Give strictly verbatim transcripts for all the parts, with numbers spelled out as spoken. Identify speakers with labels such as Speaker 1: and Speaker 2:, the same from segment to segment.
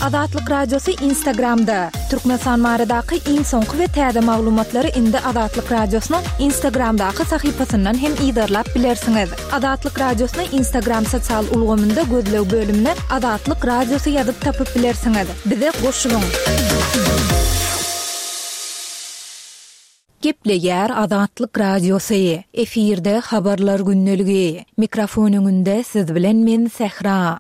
Speaker 1: Azatlyk Radiosy Instagramda. Türkmenistan baradaky iň soňky we täze maglumatlary indi Azatlyk Radiosynyň Instagramdaky sahypasyndan hem yzarlap bilersiňiz. Azatlyk Radiosyny Instagram sosial ulgamynda gözleg bölümine Azatlyk Radiosy ýazyp tapyp bilersiňiz. Bize goşulyň. Gepleýär Azatlyk Radiosy. Efirde habarlar gündeligi. Mikrofon öňünde siz bilen men Sähra.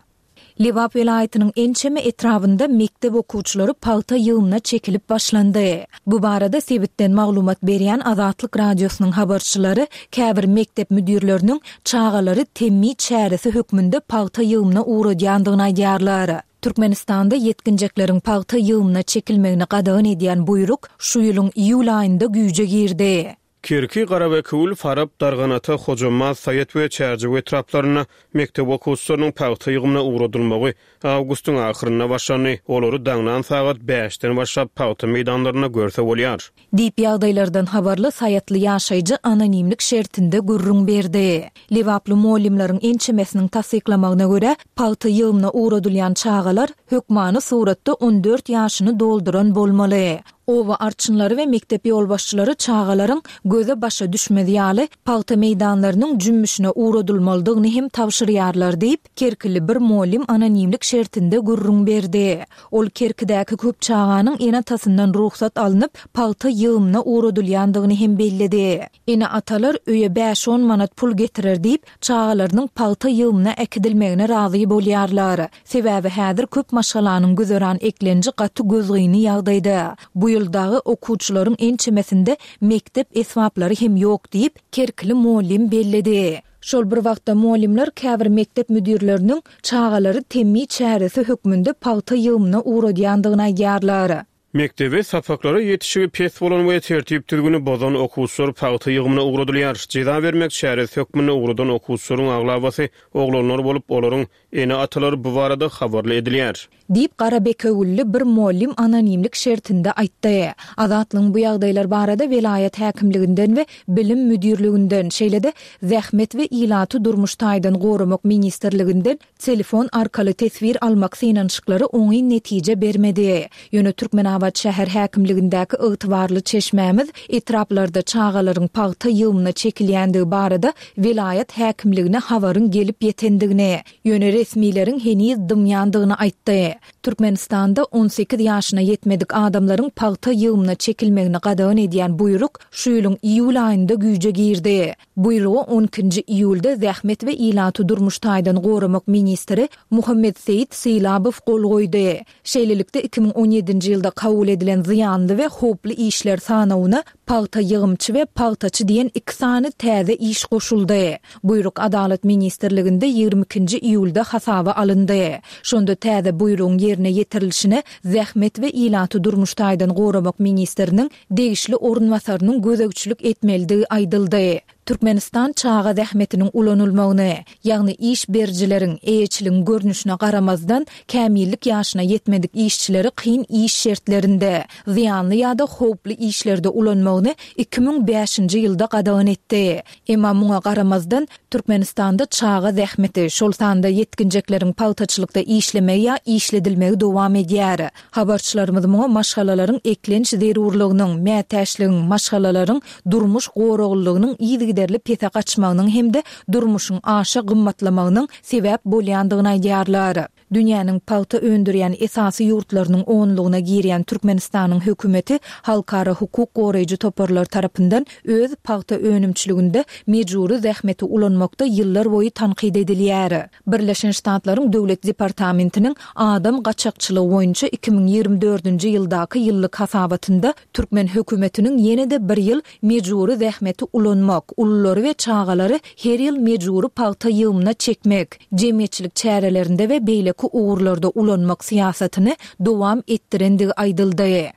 Speaker 1: Lebap welaýatynyň ençeme etrabynda mekdep okuwçylary pagta ýygymyna çekilip başlandy. Bu barada sebitden maglumat berýän Azatlyk Radiosynyň habarçylary käbir mekdep müdirleriniň çagalary temmi çäresi hökmünde pagta ýygymyna ugradýandygyny aýdýarlar. Türkmenistanda ýetginjekleriň pagta ýygymyna çekilmegini gadagan edýän buýruk şu ýylyň iýul aýynda güýje girdi.
Speaker 2: Kerki, Garabekewül, Farap, Darganata, Hojambaz, Saýat we Çärjew etraplarynda mekdep okuwçylarynyň pagta ýygymyna ugradylmagy awgustyň ahyrynda başlandy. Olary daňdan sagat bäşden başlap pagta meýdanlarynda görse bolýar.
Speaker 1: Diýip ýagdaýlardan habarly Saýatly ýaşaýjy anonimlik şertinde gürrüň berdi. Lebaply mugallymlaryň ençemesiniň tassyklamagyna görä, pagta ýygymyna ugradylýan çagalar hökmany suratda on dört ýaşyny dolduran bolmaly. Oba arçynlary we mekdep ýolbaşçylary çagalaryň göze başa düşmez ýaly pagta meýdanlarynyň jümmüşine ugradylmalydygyny hem tabşyrýarlar diýip, Kerkili bir mugallym anonimlik şertinde gürrüň berdi. Ol Kerkidäki köp çaganyň ene-atasyndan rugsat alnyp, pagta ýygymyna ugradylýandygyny hem belledi. Ene-atalar öýe bäş-on manat pul getirer diýip, çagalarynyň pagta ýygymyna äkidilmegine razy bolýarlar. Sebäbi häzir köp maşgalanyň güzeran eklenji gaty gözgyny ýagdaýda. Bu ýyl dagy okuwçylaryň ençemesinde mekdep esbaplary hem ýok diýip, Kerkili mugallym belledi. Şol bir wagtda mugallymlar käbir mekdep müdirleriniň çagalary temmi çäresi hökmünde pagta ýygymyna ugradýandygyny aýdýarlar.
Speaker 2: Mekdebe sapaklara ýetişigi pes bolan we tertip düzgüni bozan okuwçylar pagta ýygymyna ugradylýar. Jeza bermek çäresi hökmünde ugradan okuwçylaryň aglabasy oglanlar bolup, olaryň ene-atalary bu barada habarly edilýär.
Speaker 1: Diýip Garabekewülli bir mugallym anonimlik şertinde aýtdy. Azatlygyň bu ýagdaýlar barada welaýat häkimliginden we bilim müdirliginden, şeýle-de Zähmet we ilaty durmuş taýdan goramak ministrliginden telefon arkaly teswir almak synanyşyklary oňyn netije bermedi. Ýöne Türkmenabat şäher häkimligindäki ygtybarly çeşmämiz etraplarda çagalaryň pagta ýygymyna çekilýändigi barada welaýat häkimligine habaryň gelip ýetendigini, ýöne resmileriň heniz dymýandygyny aýtdy. Türkmenistanda on sekiz ýaşyna ýetmedik adamlaryň pagta ýygymyna çekilmegini gadagan edýän buýruk şu ýylyň iýul aýynda güýje girdi. Buýrugy on ikinji iýulda Zähmet we ilaty durmuş taýdan goramak ministri Muhammet Seýit Sylabow gol goýdy. Şeýlelikde iki müň on ýedinji ýylda kabul edilen zyýanly we howply işler sanawyna pagta ýygymçy we pagtaçy diýen iki sany täze iş goşuldy. Buýruk Adalat ministrliginde ýigrimi ikinji iýulda hasaba alyndy. Şonda täze buýrugyň ýerine ýetirilişine Zähmet we ilaty durmuş taýdan goramak ministriniň degişli orunbasarynyň gözegçilik etmelidigi aýdyldy. Türkmenistan çaga zähmetiniň ulanylmagyny, ýagny iş berijileriň, eýeçiligiň görnüşine garamazdan, kämillik ýaşyna ýetmedik işçileri kyn iş şertlerinde, zyýanly ýa-da howply işlerde ulanmagyny iki müň bäşinji ýylda gadagan etdi. Emma muňa garamazdan, Türkmenistanda çaga zähmeti, şol sanda ýetginjekleriň pagtaçylykda işlemegi ýa işledilmegi dowam edýär. Habarçylarymyz muňa maşgalalaryň eklenç zerurlygynyň, mätäçligiň, maşgalalaryň durmuş goraglylygynyň yzygiderli pese gaçmagynyň hem-de durmuşyň aşa gymmatlamagynyň sebäp bolýandygyny aýdýarlar. Dünýäniň pagta öndürýän esasy ýurtlarynyň onlugyna girýän Türkmenistanyň hökümeti halkara hukuk goraýjy toparlar tarapyndan öz pagta önümçiliginde mejbury zähmeti ulanmakda ýyllar boýy tankyt edilýär. Birleşen Ştatlaryň Döwlet departamentiniň adam gaçakçylygy boýunça iki müň ýigrimi dördünji ýyldaky ýyllyk hasabatynda türkmen hökümetiniň ýene-de bir ýyl mejbury zähmeti ulanmak, ululary we çagalary her ýyl mejbury pagta ýygymyna çekmek, jemgyýetçilik çärelerinde we beýleki ugurlarda ulanmak syýasatyny dowam etdirendigi aýdyldy.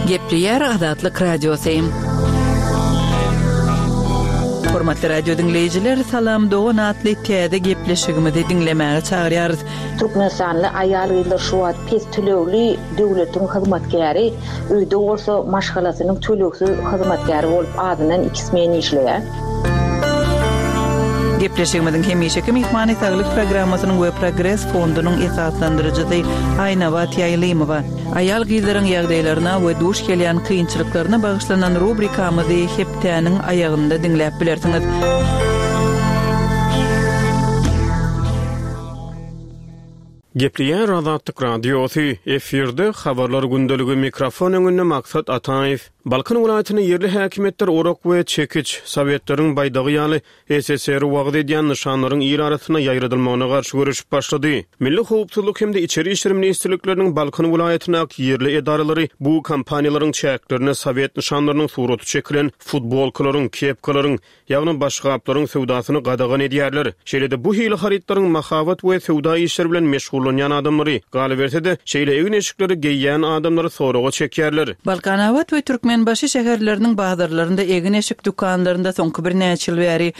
Speaker 3: Gepleýär Azatlyk Radiosy. Hormatly radio diňleýjiler, Salam dogan atly täze gepleşigimizi diňlemäge çagyrýarys.
Speaker 4: Türkmenistanly aýal-gyzlar şu wagt pes tölegli döwletiň hyzmatkäri, öýde bolsa maşgalasynyň tölegsiz hyzmatkäri bolup azyndan iki smen işleýär.
Speaker 3: Gepleşigimiziň hemişeki myhmany saglyk programmasynyň we Progres fondunyň esaslandyryjysy Aýnabat Ýaýlymowa. Aýal gyzlaryň ýagdaýlaryna we duş gelýän kynçylyklaryna bagyşlanan rubrikamyzy hepdäniň aýagynda diňläp bilersiňiz.
Speaker 2: Gepleýär Azatlyk Radiosy, efirde habarlar gündeligi mikrofon öňünde Maksat Ataýew. Balkan welaýatynda ýerli häkimiýetler orak we çekiç, sowetleriň baýdagy ýaly S S R wagyz edýän nyşanlaryň il arasynda ýaýradylmagyna garşy göreşip başlady. Milli howpsuzlyk hem-de içeri işler ministrlikleriniň Balkan welaýatyndaky ýerli edaralary bu kampaniýalaryň çäklerinde sowet nyşanlarynyň suraty çekilen futbolkalaryň, kepkalaryň, ýagny başgaplaryň söwdasyny gadagan edýärler. Şeýle-de bu hili harytlaryň mahabat we söwda işleri bilen meşgullanýan adamlary, galyberse-de şeýle egin-eşikleri geýýän adamlary soraga çekýärler.
Speaker 3: Balkanabat we Türkmenbaşy şäherleriniň bazarlarynda egin-eşik dükanlarynda soňky birnäçe ýyl bäri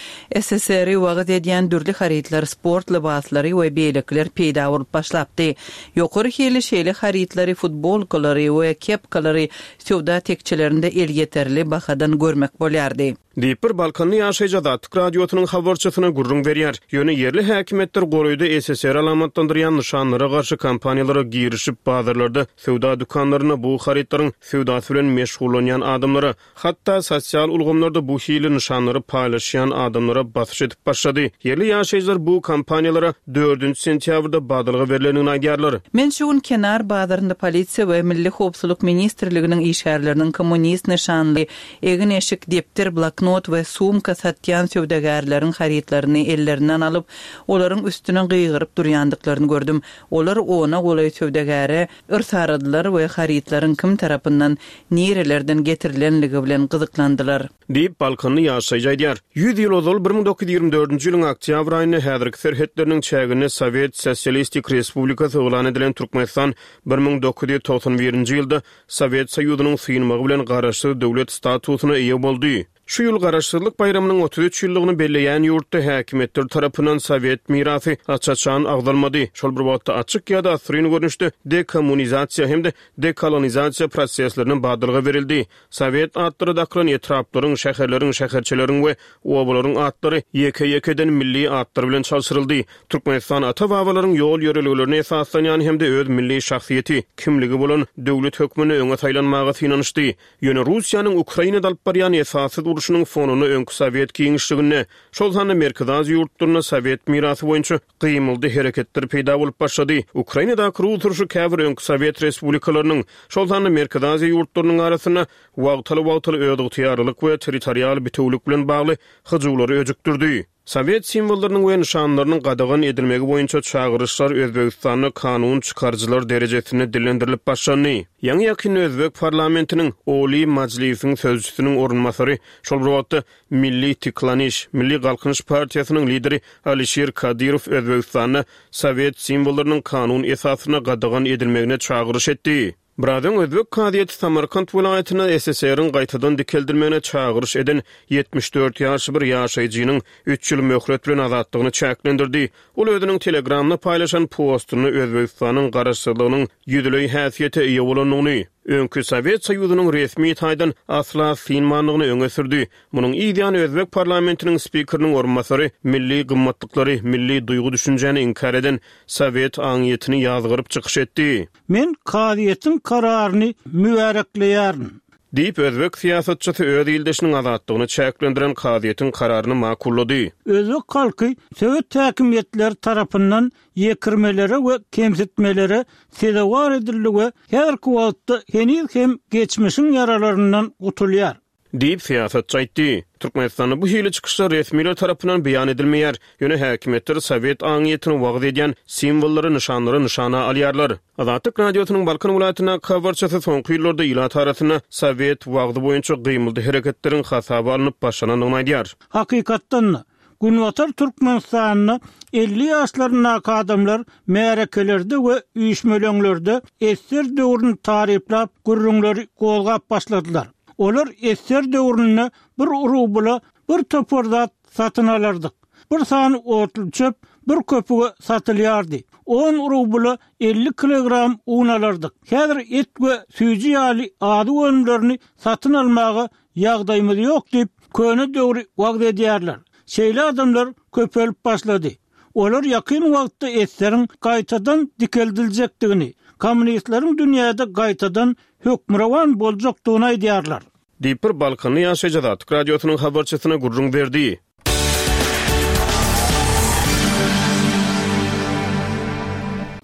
Speaker 3: S S R wagyz edýän dürli harytlar, sport lybaslary we beýlekiler peýda bolup başlapdy. Ýokary hili şeýle harytlary, futbolkalary we kepkalary söwda tekçelerinde elýeterli bahadan görmek bolýardy.
Speaker 2: Diýip bir Balkanly ýaşaýjy Azatlyk Radiosynyň habarçysyna gürrüň berýär. Ýöne ýerli häkimiýetler golaýda S S R alamatlandyrýan nyşanlara garşy kampaniýalara girişip, bazarlarda, söwda dükanlarynda bu harytlaryň söwdasy bilen meşgullanýan adamlara, hatda sosial ulgamlarda bu hili nyşanlary paýlaşýan adamlara basyş edip başlady. Ýerli ýaşaýjylar bu kampaniýalara dördünji sentýabrda badalga berlendigini aýdýarlar.
Speaker 3: Men şu gün Kenar bazarynda polisiýa we Milli howpsuzlyk ministrliginiň işgärleriniň kommunist nyşanly egin-eşik, depder, bloknot we sumka satýan söwdagärleriň harytlaryny ellerinden alyp, olaryň üstüne gygyryp durýandyklaryny gördüm. Olar ona golaý söwdagäre yrsaradylar we harytlaryň kim tarapyndan nirelerden getirilenligi bilen gyzyklandylar.
Speaker 2: Diýip Balkanly ýaşaýjy aýdýar. Ýüz ýyl ozal bir müň dokuz ýüz ýigrimi dördünji ýylyň oktýabr aýynda häzirki serhetleriniň çäginde Sowet Sosialistik Respublikasy yglan edilen Türkmenistan bir müň dokuz ýüz togsan birinji ýylda Sowet Soýuzynyň synmagy bilen garaşsyz döwlet statusyna eýe boldy. Şu ýyl garaşsyzlyk baýramynyň otuz üç ýyllygyny belleýän ýurtda häkimiýetler tarapyndan Sowet mirasy aç-açan agzalmady. Şol bir wagtda açyk ýa-da asryn görnüşde dekommunizasiýa hem-de dekolonizasiýa proseslerine badalga berildi. Sowet atlary dakylan etraplaryň, şäherleriň, şäherçeleriň we obalaryň atlary ýeke-ýekeden milli atlar bilen çalşyryldy. Türkmenistan ata-babalaryň ýol ýörelgelerine esaslanýan hem-de öz milli şahsyýeti, kimligi bolan döwlet hökmünde öňe saýlanmaga synanyşdy. Ýöne Russiýanyň Ukrainada alyp barýan esassyz urşunyň fonunda öňki Sowet giňişliginde, şol sanda Merkezi Aziýa ýurtlarynda Sowet mirasy boýunça gymyldy hereketler peýda bolup başlady. Ukrainadaky Rus urşy käbir öňki Sowet respublikalarynyň, şol sanda Merkezi Aziýa ýurtlarynyň arasynda wagtal-wagtal özygtyýarlylyk we territorial bitewülik bilen bagly hyjuwlary öjükdirdi. Sowet simwollarynyň we nyşanlarynyň gadagan edilmegi boýunça çagyryşlar Özbegistanda kanun çykaryjylar derejesinde dillendirilip başlandy. Ýaňy ýakyn Özbek parlamentiniň Oli Majlisiň sözçüsiniň orunbasary, şol bir wagtda Milli Tiklaniş, Milli Galkynyş partiýasynyň lideri Alişir Kadyrow Özbegistanda Sowet simwollarynyň kanun esasynda gadagan edilmegine çagyryş etdi. Biraz öň Özbek kazyýeti Samarkant welaýatynda S S R-iň gaýtadan dikeldilmegine çagyryş eden ýetmiş dört ýaşly bir ýaşaýjynyň üç ýyl möhlet bilen azatlygyny çäklendirdi. Ol özüniň Telegramda paýlaşan postunda Özbegistanyň garaşsyzlygynyň ýüzleý häsiýete eýe bolandygyny, öňki Sowet Soýuzynyň resmi taýdan asla synmandygyny öňe sürdi. Munuň ýany Özbek parlamentiniň spikeriniň orunbasary milli gymmatlyklary, milli duýgy düşünjäni inkär eden Sowet aňyýetini ýazgyryp çykyş etdi.
Speaker 5: Men kazyýetiň kararyny mübärekleýärin.
Speaker 2: Diýip Özbek syýasatçysy öz ildeşiniň azatlygyny çäklendiren kazyýetiň kararyny makullady.
Speaker 5: Özbek halky Sowet häkimiýetleri tarapyndan ýekirmelere we kemsitmelere sezewar edildi we her wagtda heniz hem geçmişiň ýaralaryndan gutulýar.
Speaker 2: Diýip syýasatçy aýtdy. Türkmenistanda bu hili çykyşlar resmiler tarapyndan beýan edilmeýär. Ýöne häkimiýetler Sowet aňyýetini wagyz edýän simwollary, nyşanlary nyşana alýarlar. Azatlyk Radiosynyň Balkan welaýatyndaky habarçysy soňky ýyllarda ilat arasynda Sowet wagzy boýunça gymyldy hereketleriň hasaba alnyp başlanandygyny aýdýar.
Speaker 5: Hakykatdan Günbatar Türkmenistanda elli ýaşlaryndaky adamlar märekelerde we üýşmeleňlerde esser döwrüni taryplap gürrüňleri gozgap başladylar. Olar esser döwründe bir rubla bir topar zat satyn alardyk. Bir sany otly çöp bir köpüge satylýardy. On rubla elli kilogram un alardyk. Häzir et we süýji ýaly azyk önümlerini satyn almaga ýagdaýymyz ýok diýip köne döwri wagyz edýärler. Şeýle adamlar köpelip başlady. Olar ýakyn wagtda eseriň gaýtadan dikeldiljekdigini, kommunistleriň dünýäde gaýtadan hökmürowan boljakdygyny aýdýarlar.
Speaker 2: Diýip bir Balkanly ýaşaýjy Azatlyk Radiosynyň habarçysyna gürrüň berdi.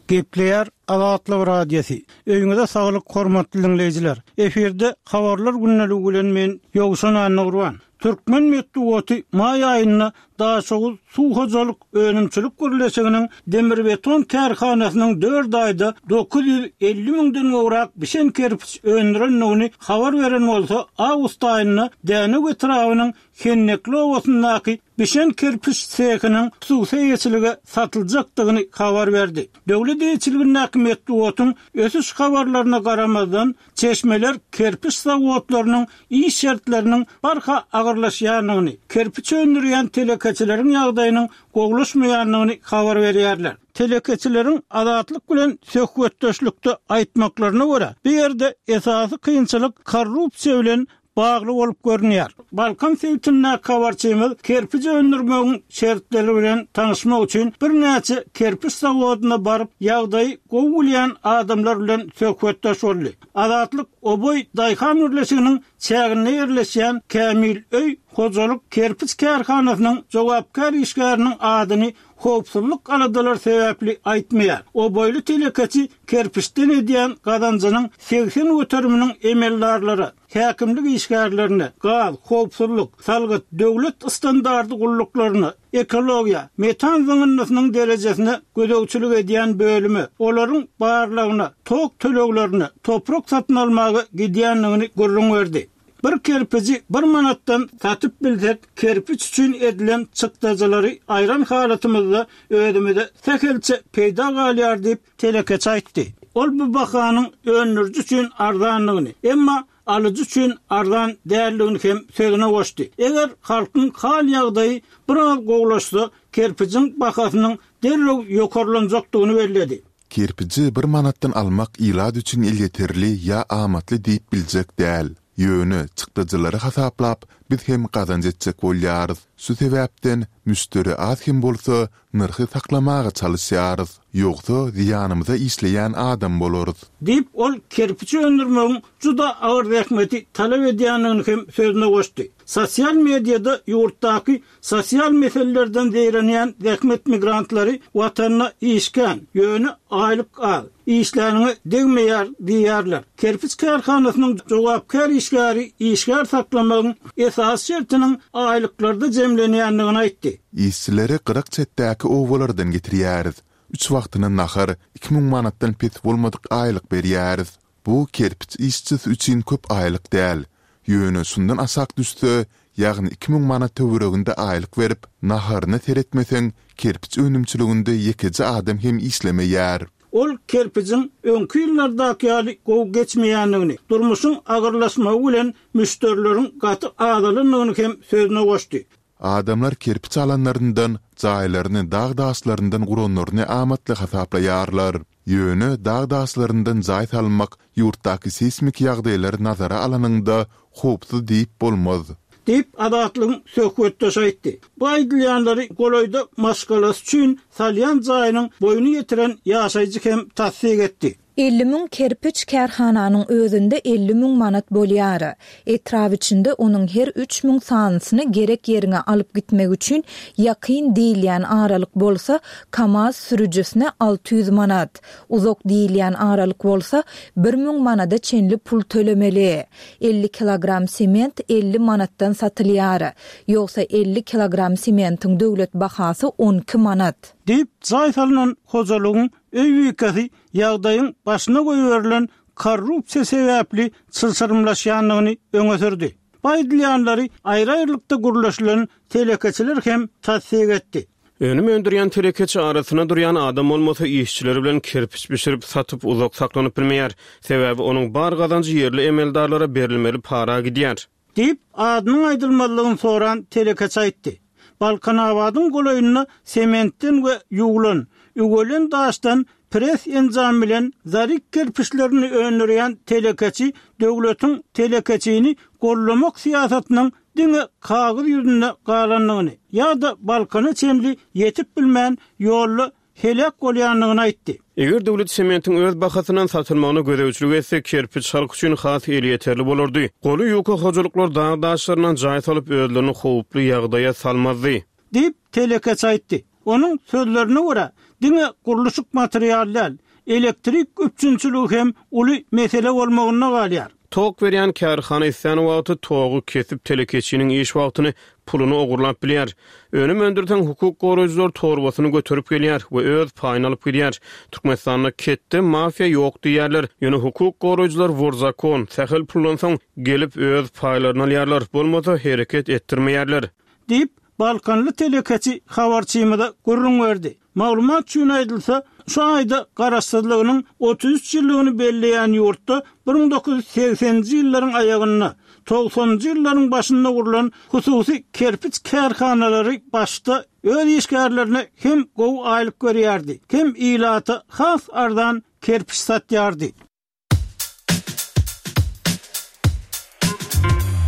Speaker 5: Gepleýär Azatlyk Radiosy. Öýüňize saglyk hormatly dinleýjiler. Efirde habarlar gündeligi bilen men Ýowşan Annagurban. Türkmen metbugaty maý aýynda Daşoguz suw hojalyk önümçilik birleşiginiň demirbeton kärhanasynyň dört aýda dokuz ýüz elli müňden gowrak bişen kerpiç öndürendigini habar beren bolsa, awgust aýynda Dänew etrabynyň Hennekli obasyndaky bişen kerpiç sehiniň hususy eýeçilige satyljakdygyny habar berdi. Döwlet eýeçiligindäki metbugatyň ösüş habarlaryna garamazdan, çeşmeler kerpiç zawodlarynyň iş şertleriniň barha agyrlaşýandygyny, kerpiç öndürýän telekeçileriň ýagdaýynyň gowulaşmaýandygyny habar berýärler. Telekeçileriň Azatlyk bilen söhbetdeşlikde aýtmaklaryna görä, bu ýerde esasy kynçylyk korrupsiýa bilen bagly bolup görünýär. Balkan sebitindäki habarçymyz kerpiç öndürmegiň şertleri bilen tanyşmak üçin birnäçe kerpiç zawodyna baryp, ýagdaýy gowy bilýän adamlar bilen söhbetdeş boldy. Azatlyk Oboý daýhan birleşiginiň çäginde ýerleşýän Kämil öý hojalyk kerpiç kärhanasynyň jogapkär işgäriniň adyny howpsuzlyk aladalary sebäpli aýtmaýar. Oboýly telekeçi kerpiçden edýän gazanjynyň segsen göteriminiň emeldarlara, häkimlik işgärlerine, gaz, howpsuzlyk, salgyt, döwlet standarty gulluklaryna, ekologiýa, metan zyňyndysynyň derejesine gözegçilik edýän bölüme, olaryň barlygyna, tok töleglerine, toprak satyn almaga gidýändigini gürrüň berdi. Bir kerpici bir manatdan satyp bilsek, kerpiç üçin edilen çykdajylary aýran halatymyzda özümize sähelçe peýda galýar diýip telekeçi aýtdy. Ol bu bahanyň öndüriji üçin arzanlygyny, emma alyjy üçin arzan däldigini hem sözüne goşdy. Eger halkyň hal ýagdaýy biraz gowulaşsa, kerpijiň bahasynyň derrew ýokarlanjakdygyny belledi.
Speaker 6: Kerpici bir manatdan almak ilat üçin elýeterli ýa amatly diýip biljek däl. Ýöne çykdajylary hasaplap, biz hem gazanç etjek bolýarys. Şu sebäpden müşderi az hem bolsa nyrhy saklamaga çalyşýarys. Ýogsa zyýanymyza işleýän adam bolarys.
Speaker 5: Diýip, ol kerpiç öndürmegiň juda agyr zähmeti talap edýändigini hem sözüne goşdy. Sosial mediada ýurtdaky sosial meselelerden zeýrenýän zähmet migrantlary watanyna işkän, ýöne aýlyk az, işläniňe degmeýär diýýärler. Kerpiç kärhanasynyň jogapkär işgäri işgär saklamagyň esasy şertiniň aýlyklarda jemlenýändigini aýtdy.
Speaker 6: Işçileri gyrak çetdäki obalardan getirýäris. Üç wagtyna nahar, iki müň manatdan pes bolmadyk aýlyk berýäris. Bu kerpiç işçisi üçin köp aýlyk däl. Ýöne şundan aşak düşse, ýagny iki müň manat töwereginde aýlyk berip, naharyna seretmeseň, kerpiç önümçiliginde ýekeje adam hem işlemeýär.
Speaker 5: Ol kerpijiň öňki ýyllardaky ýaly gowy geçmeýändigini, durmuşyň agyrlaşmagy bilen müşderileriň gaty azalandygyny hem sözüne goşdy.
Speaker 6: Adamlar kerpiç alanlaryndan, jaýlaryny dag daşlaryndan guranlaryny amatly hasaplaýarlar. Ýöne dag daşlaryndan jaý salmak ýurtdaky seýsmik ýagdaýlary nazara alanyňda howpsuz diýip bolmaz.
Speaker 5: Diýip, Azatlygyň söhbetdeşi aýtdy. Bu aýdylýanlary golaýda maşgalasy üçin salýan jaýynyň boýuny ýetiren ýaşaýjy hem tassyk etdi.
Speaker 1: Elli müň kerpiç kärhananyň özünde elli müň manat bolýar. Etrap içinde onuň her üç müň sanysyny gerek ýeriňe alyp gitmek üçin ýakyn diýilýän aralyk bolsa, KAMAZ sürüjisine alty ýüz manat, uzak diýilýän aralyk bolsa, bir müň manada çenli pul tölemeli. Elli kilogram sement elli manatdan satylýar. Ýogsa elli kilogram sementiň döwlet bahasy on iki manat.
Speaker 5: Diýip, jaý salynan hojalygyň öý bikesi ýagdaýyň başyna goýberilen korrupsiýa sebäpli çylşyrymlaşýandygyny öňe sürdi. Bu aýdylýanlary aýry-aýrylykda gürleşilen telekeçiler hem tassyk etdi.
Speaker 2: Önüm öndürýän telekeçi arasynda durýan adam bolmasa işçiler bilen kerpiç bişirip satyp uzak saklanyp bilmeýär. Sebäbi onuň bar gazanjy ýerli emeldarlara berilmeli para gidýär.
Speaker 5: Diýip, adynyň aýdylmazlygyny soran telekeçi aýtdy. Balkanabadyň golaýynda sementden we ýuwlan, üwelen daşdan pres enjam bilen zarik kerpiçlerini öndürýän telekeçi döwletiň telekeçini gollamak syýasatynyň diňe kagyz ýüzünde galandygyny ýa-da Balkana çenli ýetip bilmän ýolda heläk bolýandygyny aýtdy.
Speaker 2: Eger döwlet sementiň öz bahasyndan satylmagyna gözegçilik etse, kerpiç halk üçin has elýeterli bolardy. Goly ýuka hojalyklar dag daşlaryndan jaý salyp özlerini howply ýagdaýa salmazdy.
Speaker 5: Diýip telekeçi aýtdy. Onuň sözlerine görä, diňe gurluşyk material däl, elektrik üpjünçiligi hem uly mesele bolmagyna galýar.
Speaker 2: Tok berýän kärhana islän wagty togy kesip telekeçiniň iş wagtyny puluny ogurlap bilýär. Önüm öndürseň hukuk goraýjylar torbasyny göterip gelýär we öz paýyny alyp gidýär. Türkmenistanda ketde mafiýa ýok diýýärler. Ýöne hukuk goraýjylar wor zakon, sähel puldan soň gelip öz paýlaryny alýarlar, bolmasa hereket etdirmeýärler.
Speaker 5: Diýip Balkanly telekeçi habarçymyza gürrüň berdi. Maglumat üçin aýdylsa, şu aýda garaşsyzlygynyň otuz üç ýyllygyny belleýän ýurtda bir müň dokuz ýüz segseninji ýyllaryň aýagynda, togsanynjy ýyllaryň başynda gurlan hususy kerpiç kärhanalary başda öz işgärlerine hem gowy aýlyk berýärdi, hem ilata has arzan kerpiç satýardy.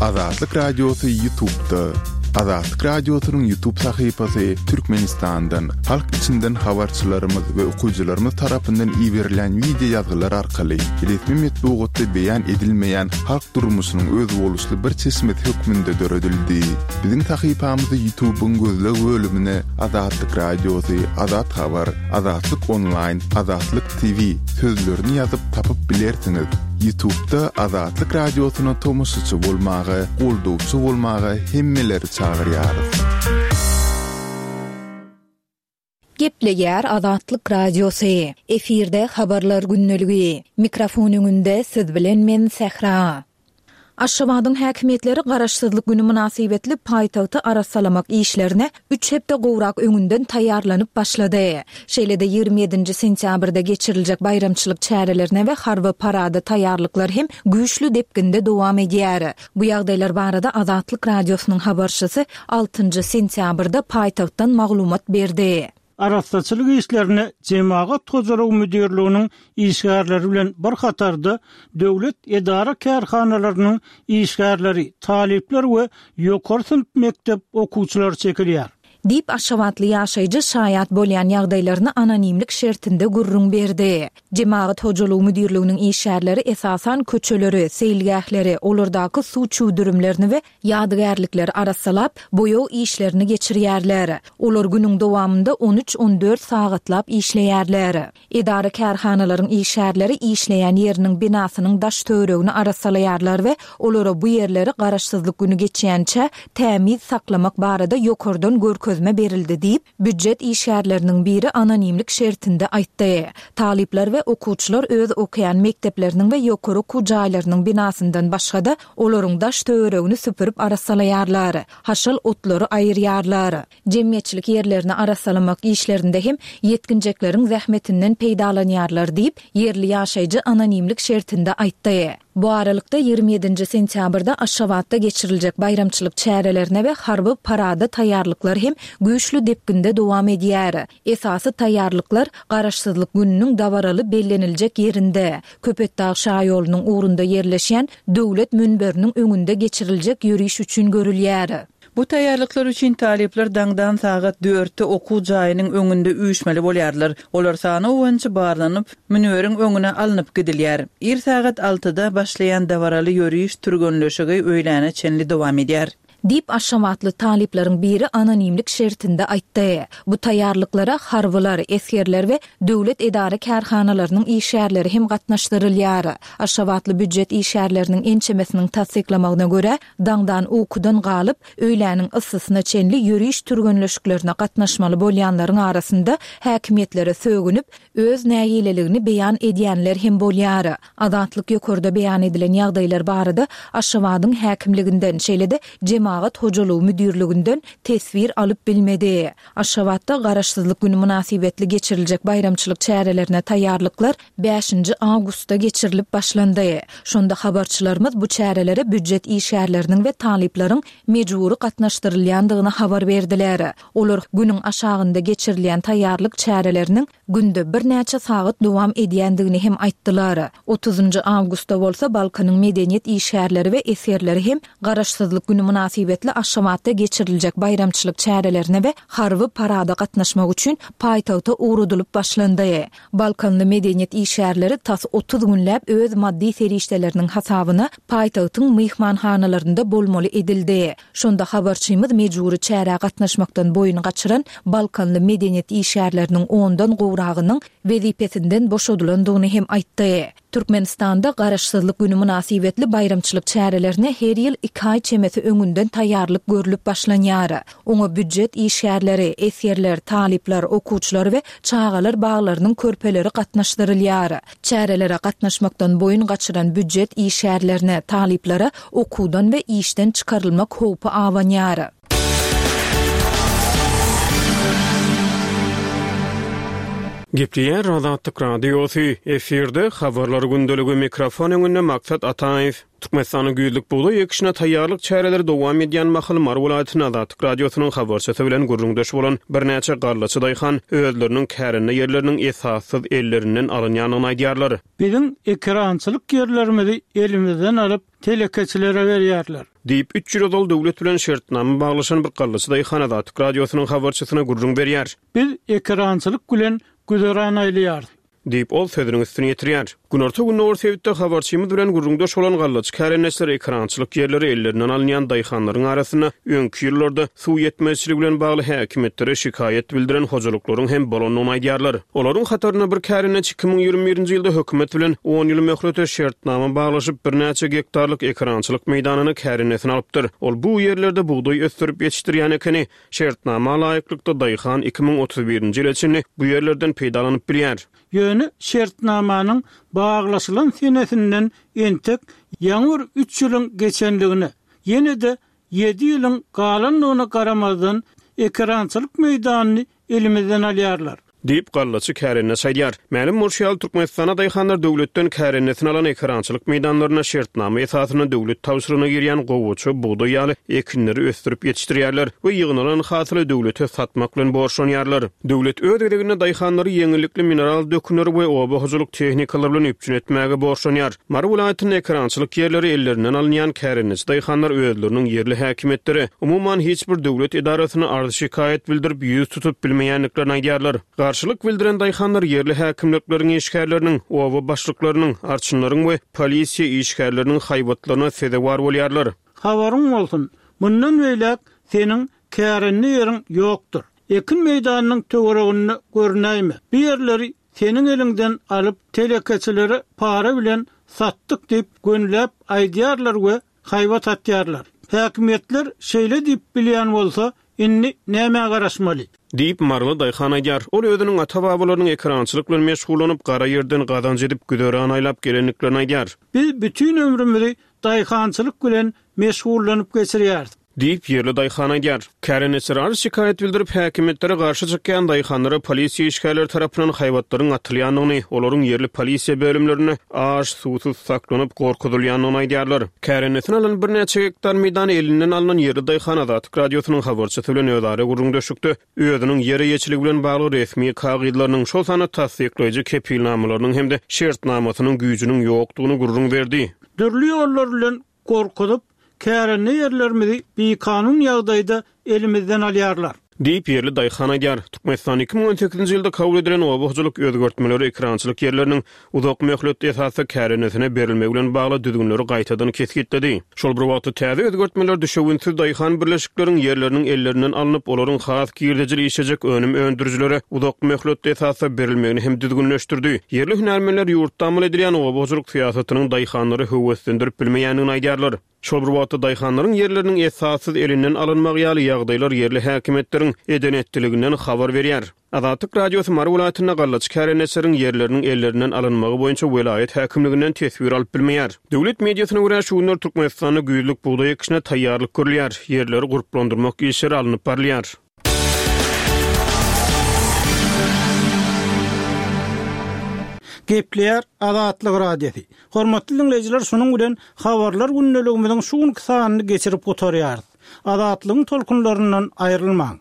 Speaker 6: Azatlyk Radiosy YouTube'da. Azatlyk Radiosynyň YouTube sahypasy Türkmenistandan, halk içinden habarçylarymyz we okyjylarymyz tarapyndan iberilen video ýazgylar arkaly resmi metbugatda beýan edilmeýän halk durmuşynyň özboluşly bir çeşmesi hökmünde döredildi. Biziň sahypamyzy YouTube'yň gözleg bölümine Azatlyk Radiosy, Azat Habar, Azatlyk Online, Azatlyk T V sözlerini ýazyp tapyp bilersiňiz. YouTube'da Azatlyk Radiosyna tomaşaçy bolmaga, goldawçy bolmaga hemmeleri çagyrýarys.
Speaker 1: Gepleýär Azatlyk Radiosy. Efirde habarlar gündeligi. Mikrofon öňünde siz bilen men Sähra. Aşgabadyň häkimiýetleri garaşsyzlyk günü mynasybetli paýtagty arassalamak işlerine üç hepde gowrak öňünden taýýarlanyp başlady. Şeýle-de ýigrimi ýedinji sentýabrda geçiriljek baýramçylyk çärelerine we harby parada taýýarlyklar hem güýçli depginde dowam edýär. Bu ýagdaýlar barada Azatlyk Radiosynyň habarçysy altynjy sentýabrda paýtagtdan maglumat berdi.
Speaker 5: Arassaçylyk işlerine Jemagat Hojalygy Müdirliginiň işgärleri bilen bir hatarda döwlet edara kärhanalarynyň işgärleri, talyplar we ýokary synp mekdep okuwçylary çekilýär.
Speaker 1: Diýip Aşgabatly ýaşaýjy şaýat bolýan ýagdaýlaryny anonimlik şertinde gürrüň berdi. Jemagat Hojalygy Müdirliginiň işgärleri esasan köçeleri, seýilgähleri, olardaky suw çüwdürimlerini we ýadygärlikleri arassalap, boýag işlerini geçirýärler. Olar günüň dowamynda on üç on dört sagatlap işleýärler. Edara kärhanalaryň işgärleri işleýän ýeriniň binasynyň daş töweregini arassalaýarlar we olara bu ýerleri garaşsyzlyk günü geçýänçä tämiz saklamak barada ýokardan görkezme berildi diýip, býujet işgärleriniň biri anonimlik şertinde aýtdy. Talyplar we okuwçylar öz okaýan mekdepleriniň we ýokary okuw jaýlarynyň binasyndan başga-da olaryň daş töweregini süpürip arassalaýarlar. Haşal otlary aýyrýarlar. Jemgyýetçilik ýerlerini arassalamak işlerinde hem ýetginjekleriň zähmetinden peýdalanýarlar diýip, ýerli ýaşaýjy anonimlik şertinde aýtdy. Bu aralykda ýigrimi ýedinji sentýabrda Aşgabatda geçiriljek baýramçylyk çärelerine we harby parada taýýarlyklar hem güýçli depginde dowam edýär. Esasy taýýarlyklar Garaşsyzlyk gününiň dabaraly belleniljek ýerinde, Köpetdag şaýolunyň ugrunda ýerleşen döwlet münberiniň öňünde geçiriljek ýöriş üçin görülýär.
Speaker 3: Bu taýýarlyklar üçin talyplar daňdan sagat dörtde okuw jaýynyň öňünde üýşmeli bolýarlar. Olar sany boýunça barlanyp, münberiň öňüne alnyp gidilýär. Ir sagat altyda başlaýan dabaraly ýöriş türgenleşigi öýläne çenli dowam edýär.
Speaker 1: Diýip Aşgabatly talyplaryň biri anonimlik şertinde aýtdy. Bu taýýarlyklara harbylar, esgerler we döwlet edara kärhanalarynyň işgärleri hem gatnaşdyrylýar. Aşgabatly býujet işgärleriniň ençemesiniň tassyklamagyna görä, daňdan ukudan galyp, öýläniň yssysyna çenli ýöriş türgenleşiklerine gatnaşmaly bolýanlaryň arasynda häkimiýetlere sögünip, öz nägileligini beýan edýänler hem bolýar. Azatlyk ýokarda beýan edilen ýagdaýlar barada Aşgabadyň häkimliginden, şeýle-de Jemagat Hojalygy Müdirliginden teswir alyp bilmedi. Aşgabatda Garaşsyzlyk günü mynasybetli geçiriljek baýramçylyk çärelerine taýýarlyklar bäşinji awgustda geçirilip başlandy. Şonda habarçylarymyz bu çärelere býujet işgärleriniň we talyplaryň mejbury gatnaşdyrylýandygyny habar berdiler. Olar günüň aşagynda geçirilýän taýýarlyk çäreleriniň günde birnäçe sagat dowam edýändigini hem aýtdylar. Otuzynjy awgustda bolsa Balkanyň medeniýet işgärleri we esgerleri hem Garaşsyzlyk günü mynasybetli mynasybetli Aşgabatda geçiriljek baýramçylyk çärelerine we harby parada gatnaşmak üçin paýtagta ugradylyp başlandy. Balkanly medeniýet işgärleri tas otuz günläp öz maddy serişdeleriniň hasabyna paýtagtyň myhmanhanalarynda bolmaly edildi. Şonda habarçymyz mejbury çärä gatnaşmakdan boýun gaçyran Balkanly medeniýet işgärleriniň ondan gowragynyň wezipesinden boşadylandygyny hem aýtdy. Türkmenistanda Garaşsyzlyk güni mynasybetli baýramçylyk çärelerine her ýyl iki aý çemesi öňünden taýýarlyk görlüp başlanýar. Oňa býujet işgärleri, esgerler, talyplar, okuwçylar we çagalar baglarynyň körpeleri gatnaşdyrylýar. Çärelere gatnaşmakdan boýun gaçyran býujet işgärlerine, talyplara okuwdan we işden çykarylmak howpy abanýar.
Speaker 2: Gepleýär Azatlyk Radiosy, efirde habarlar gündeligi mikrofon öňünde Maksat Ataýew. Türkmenistanyň güýzlük bugdaý ekişine taýýarlyk çäreleri dowam edýän mahal Mary welaýatynyň Azatlyk Radiosynyň habarçysy bilen gürrüňdeş bolan birnäçe gallaçy daýhan özleriniň kärende ýerleriniň esassyz ellerinden alynýandygyny aýdýarlar.
Speaker 5: Biziň ekerançylyk ýerlerimizi elimizden alyp telekeçilere berýärler.
Speaker 2: Diýip, üç ýyl ozal döwlet bilen şertnama baglaşan bir gallaçy daýhan Azatlyk Radiosynyň habarçysyna gürrüň berýär.
Speaker 5: Biz ekerançylyk bilen güzeran aýlaýarys.
Speaker 2: Diýip, ol sözüniň üstüni ýetirýär. Günorta-gündogar sebitde habarçymyz bilen gürrüňdeş bolan gallaçy kärendeçiler ekerançylyk ýerleri ellerinden alynýan daýhanlaryň arasynda öňki ýyllarda suw ýetmezçiligi bilen bagly häkimiýetlere şikaýat bildiren hojalyklaryň hem bolandygyny aýdýarlar. Olaryň hatarynda bir kärendeçi iki müň ýigrimi birinji ýylda hökümet bilen on ýyl möhlete şertnama baglaşyp, birnäçe gektarlyk ekerançylyk meýdanyny kärendesine alypdyr. Ol bu ýerlerde bugdaý ösdürip ýetişdirýän ekeni. Şertnama laýyklykda daýhan iki müň otuz birinji ýyla çenli bu ýerlerden peýdalanyp bilýär.
Speaker 5: Ýöne şertnamanyň baglaşylan senesinden entek ýaňy bir üç ýylyň geçenligine, ýene-de ýedi ýylyň galandygyna garamazdan ekerançylyk meýdanyny elimizden alýarlar.
Speaker 2: Diýip, gallaçy kärendeçi aýdýar. Mälim bolşy ýaly, Türkmenistanda daýhanlar döwletden kärendesini alan ekerançylyk meýdanlaryna şertnama esasynda döwlet tabşyrygyna girýän gowaça, bugdaý ýaly ekinleri ösdürip ýetişdirýärler we ýygnalan hasyly döwlete satmak bilen borçlanýarlar. Döwlet öz gezeginde daýhanlary ýeňillikli mineral dökünleri we oba hojalyk tehnikalary bilen üpjün etmäge borçlanýar. Mary welaýatynda ekerançylyk ýerleri ellerinden alynýan kärendeçi daýhanlar özleriniň ýerli häkimiýetlere, umuman hiç bir döwlet edarasyna arz-şikaýat bildirip ýüz tutup bilmeýändiklerini aýdýarlar. Garşylyk bildiren daýhanlar ýerli häkimlikleriň işgärleriniň, oba başlyklarynyň, arçynlaryň we polisiýa işgärleriniň haýbatlaryna sezewar bolýarlar.
Speaker 5: Habaryň bolsun, mundan beýläk seniň kärende ýeriň ýokdur. Ekin meýdanynyň töwereginde görünäýme. Bu ýerleri seniň eliňden alyp telekeçilere para bilen satdyk diýip gönläp aýdýarlar we haýbat atýarlar. Häkimiýetler şeýle diýip bilýän bolsa, indi näme garaşmaly?
Speaker 2: Diýip, Maryly daýhan aýdýar. Ol özüniň ata-babalarynyň ekerançylyk bilen meşgullanyp, gara ýerden gazanç edip güzeran aýlap gelendiklerini aýdýar.
Speaker 5: Biz bütün ömrümizi daýhançylyk bilen meşgullanyp geçirýäris.
Speaker 2: Diýip, ýerli daýhan aýdýar. Kärendeçiler arz şikaýat bildirip, häkimiýetlere garşy çykýan daýhanlara polisiýa işgärleri tarapyndan haýbatlaryň atylýandygyny, olaryň ýerli polisiýa bölümlerinde aş, suwsuz saklanyp gorkuzylýandygyny aýdýarlar. Kärendesini alan birnäçe gektar meýdany elinden alynan ýerli daýhan Azatlyk Radiosynyň habarçysy bilen özara gürrüňdeşlikde özüniň ýer eýeçiligi bilen bagly resmi kagyzlarynyň, şol sanda tassyklaýjy kepilnamalarynyň hem-de şertnamasynyň güýjüniň ýokdugyny gürrüň berdi.
Speaker 5: Dürli ýollar bilen gorkuzyp, kärende ýerlerimizi bikanun ýagdaýda elimizden alýarlar.
Speaker 2: Diýip, ýerli daýhan aýdýar. Türkmenistan iki müň on sekizinji ýylda kabul edilen oba hojalyk özgertmeleri ekerançylyk ýerleriniň uzak möhletli esasda kärendesine berilmegi bilen bagly düzgünleri gaýtadan kesgitledi. Şol bir wagtda täze özgertmeler düşewüntsiz daýhan birleşikleriň ýerleriniň ellerinden alnyp, olaryň has girdejili işlejek önüm öndürijilere uzak möhletli esasda berilmegini hem düzgünleşdirdi. Ýerli hünärmenler ýurtda amal edilýän oba hojalyk syýasatynyň daýhanlary höweslendirip bilmeýändigini aýdýarlar. Şol bir wagtda daýhanlaryň ýerleriniň esassyz elinden alynmagy ýaly ýagdaýlar ýerli häkimiýetleriň eden etdiliginden habar berýär. Azatlyk Radiosy Mary welaýatynda gallaçy kärendeçileriň ýerleriniň ellerinden alynmagy boýunça welaýat häkimliginden teswir alyp bilmeýär. Döwlet mediasyna görä şu günler Türkmenistanda güýzlük bugdaý ekişine taýýarlyk görülýär. Ýerleri gurplandyrmak işleri alnyp barylýar.
Speaker 5: Gepleýär Azatlyk Radiosy. Hormatly dinleýjiler, şunuň bilen habarlar gündeligimiziň şu günki sanyny geçirip gutarýarys. Azatlygyň tolkunlaryndan aýrylmaň.